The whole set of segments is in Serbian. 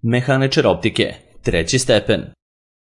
Mehaničar optike, 3. stepen.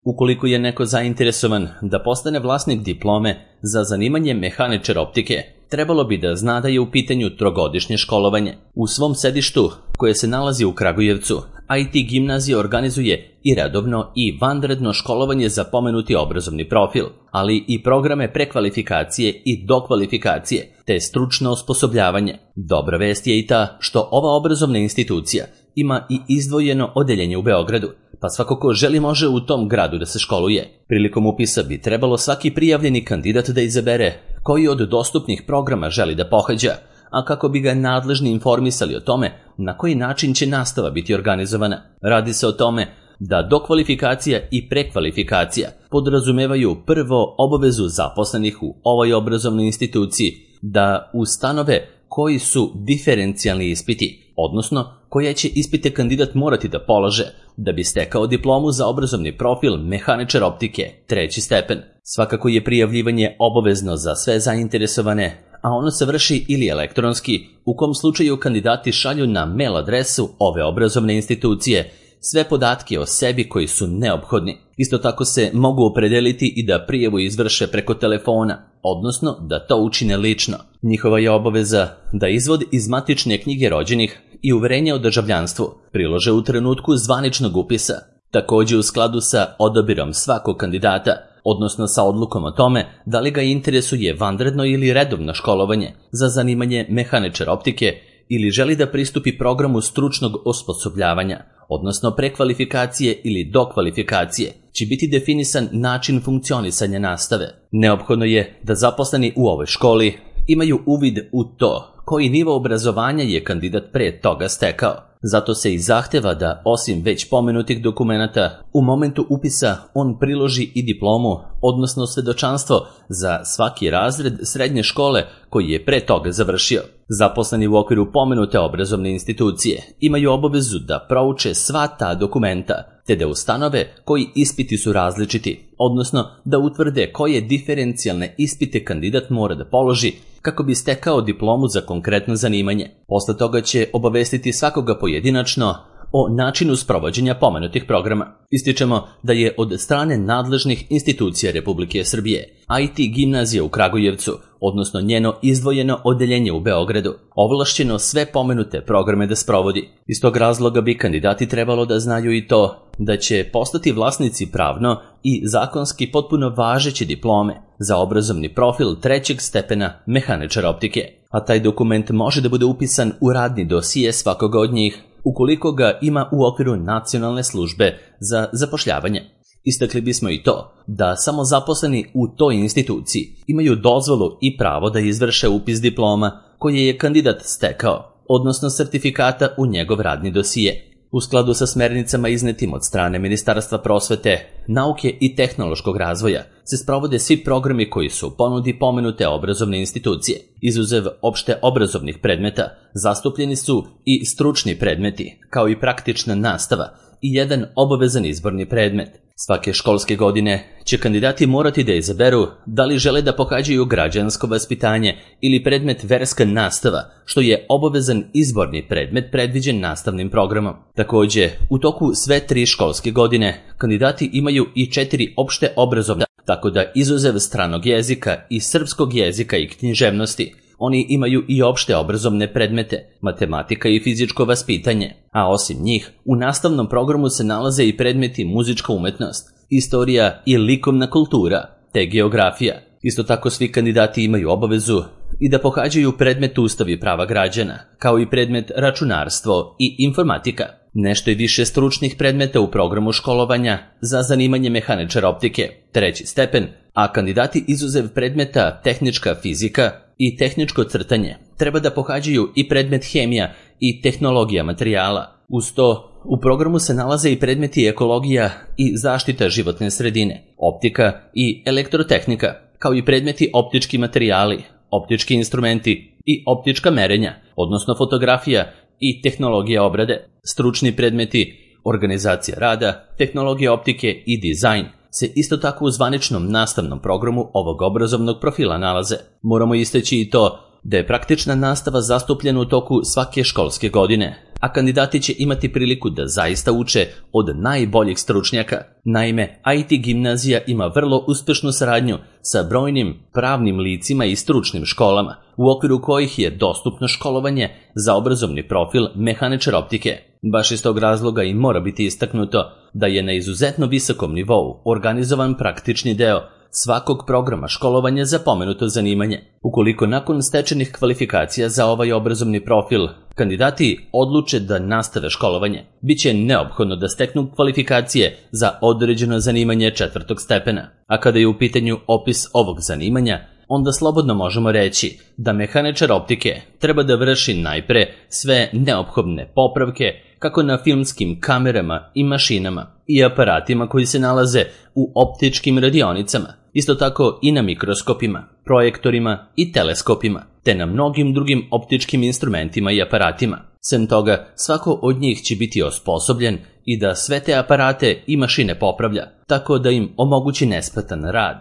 Ukoliko je neko zainteresovan da postane vlasnik diplome za zanimanje mehaničar optike, trebalo bi da zna da je u pitanju trogodišnje školovanje. U svom sedištu, koje se nalazi u Kragujevcu, IT gimnazija organizuje i redovno i vanredno školovanje za pomenuti obrazovni profil, ali i programe prekvalifikacije i dokvalifikacije, te stručno osposobljavanje. Dobra vest je i ta što ova obrazovna institucija ima i izdvojeno odeljenje u Beogradu, pa svako ko želi može u tom gradu da se školuje. Prilikom upisa bi trebalo svaki prijavljeni kandidat da izabere koji od dostupnih programa želi da pohađa, a kako bi ga nadležni informisali o tome na koji način će nastava biti organizovana. Radi se o tome da dokvalifikacija i prekvalifikacija podrazumevaju prvo obavezu zaposlenih u ovoj obrazovnoj instituciji da ustanove koji su diferencijalni ispiti, odnosno koje će ispite kandidat morati da polaže da bi stekao diplomu za obrazovni profil mehaničar optike, 3. stepen. Svakako je prijavljivanje obavezno za sve zainteresovane, a ono se vrši ili elektronski, u kom slučaju kandidati šalju na mail adresu ove obrazovne institucije sve podatke o sebi koji su neophodni. Isto tako se mogu opredeliti i da prijavu izvrše preko telefona, odnosno da to učine lično. Njihova je obaveza da izvod iz matične knjige rođenih i uverenje o državljanstvu prilože u trenutku zvaničnog upisa, takođe u skladu sa odabirom svakog kandidata, odnosno sa odlukom o tome da li ga interesuje vanredno ili redovno školovanje za zanimanje mehaničar optike ili želi da pristupi programu stručnog osposobljavanja, odnosno prekvalifikacije ili dokvalifikacije, će biti definisan način funkcionisanja nastave. Neophodno je da zaposleni u ovoj školi imaju uvid u to koji nivo obrazovanja je kandidat pre toga stekao. Zato se i zahteva da, osim već pomenutih dokumenata, u momentu upisa on priloži i diplomu, odnosno svedočanstvo za svaki razred srednje škole koji je pre toga završio. Zaposleni u okviru pomenute obrazovne institucije imaju obavezu da prouče sva ta dokumenta, te da ustanove koji ispiti su različiti, odnosno da utvrde koje diferencijalne ispite kandidat mora da položi kako bi stekao diplomu za konkretno zanimanje. Posle toga će obavestiti svakoga pojedinačno o načinu sprovođenja pomenutih programa. Ističemo da je od strane nadležnih institucija Republike Srbije IT gimnazija u Kragujevcu, odnosno njeno izdvojeno odeljenje u Beogradu, ovlašćeno sve pomenute programe da sprovodi. Iz tog razloga bi kandidati trebalo da znaju i to da će postati vlasnici pravno i zakonski potpuno važeće diplome za obrazovni profil 3. stepena mehaničar optike, a taj dokument može da bude upisan u radni dosije svakoga od njih ukoliko ga ima u okviru Nacionalne službe za zapošljavanje. Istakli bismo i to da samo zaposleni u toj instituciji imaju dozvolu i pravo da izvrše upis diploma koje je kandidat stekao, odnosno sertifikata u njegov radni dosije. U skladu sa smernicama iznetim od strane Ministarstva prosvete, nauke i tehnološkog razvoja se sprovode svi programi koji su u ponudi pomenute obrazovne institucije. Izuzev opšte obrazovnih predmeta, zastupljeni su i stručni predmeti, kao i praktična nastava i jedan obavezan izborni predmet. Svake školske godine će kandidati morati da izaberu da li žele da pohađaju građansko vaspitanje ili predmet verska nastava, što je obavezan izborni predmet predviđen nastavnim programom. Takođe, u toku sve 3 školske godine kandidati imaju i 4 opšte obrazovne, tako da izuzev stranog jezika i srpskog jezika i književnosti, oni imaju i opšte obrazovne predmete, matematika i fizičko vaspitanje, a osim njih, u nastavnom programu se nalaze i predmeti muzička umetnost, istorija i likovna kultura, te geografija. Isto tako svi kandidati imaju obavezu i da pohađaju predmet Ustav i prava građana, kao i predmet računarstvo i informatika. Nešto je više stručnih predmeta u programu školovanja za zanimanje mehaničar optike, 3. stepen, a kandidati izuzev predmeta tehnička fizika i tehničko crtanje treba da pohađaju i predmet hemija i tehnologija materijala. Uz to, u programu se nalaze i predmeti ekologija i zaštita životne sredine, optika i elektrotehnika, kao i predmeti optički materijali, optički instrumenti i optička merenja, odnosno fotografija i tehnologija obrade. Stručni predmeti, organizacija rada, tehnologija optike i dizajn se isto tako u zvaničnom nastavnom programu ovog obrazovnog profila nalaze. Moramo istaći i to da je praktična nastava zastupljena u toku svake školske godine, a kandidati će imati priliku da zaista uče od najboljih stručnjaka. Naime, IT gimnazija ima vrlo uspešnu saradnju sa brojnim pravnim licima i stručnim školama, u okviru kojih je dostupno školovanje za obrazovni profil mehaničar optike. Baš iz tog razloga i mora biti istaknuto da je na izuzetno visokom nivou organizovan praktični deo svakog programa školovanja za pomenuto zanimanje. Ukoliko nakon stečenih kvalifikacija za ovaj obrazovni profil kandidati odluče da nastave školovanje, bit će neophodno da steknu kvalifikacije za određeno zanimanje 4. stepena. A kada je u pitanju opis ovog zanimanja, onda slobodno možemo reći da mehaničar optike treba da vrši najpre sve neophodne popravke kako na filmskim kamerama i mašinama i aparatima koji se nalaze u optičkim radionicama, isto tako i na mikroskopima, projektorima i teleskopima, te na mnogim drugim optičkim instrumentima i aparatima. Sem toga, svako od njih će biti osposobljen i da sve te aparate i mašine popravlja, tako da im omogući nesmetan rad.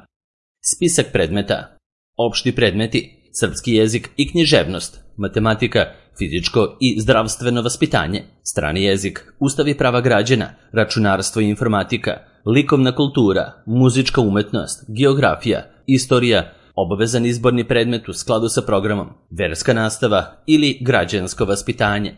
Spisak predmeta. Opšti predmeti, srpski jezik i književnost, matematika, fizičko i zdravstveno vaspitanje, strani jezik, ustav i prava građana, računarstvo i informatika, likovna kultura, muzička umetnost, geografija, istorija, obavezan izborni predmet u skladu sa programom, verska nastava ili građansko vaspitanje.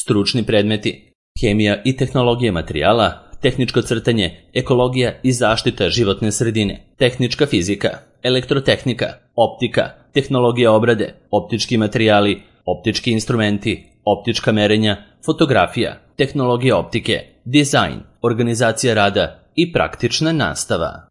Stručni predmeti, hemija i tehnologija materijala, tehničko crtanje, ekologija i zaštita životne sredine, tehnička fizika, elektrotehnika, optika, tehnologija obrade, optički materijali, optički instrumenti, optička merenja, fotografija, tehnologija optike, dizajn, organizacija rada i praktična nastava.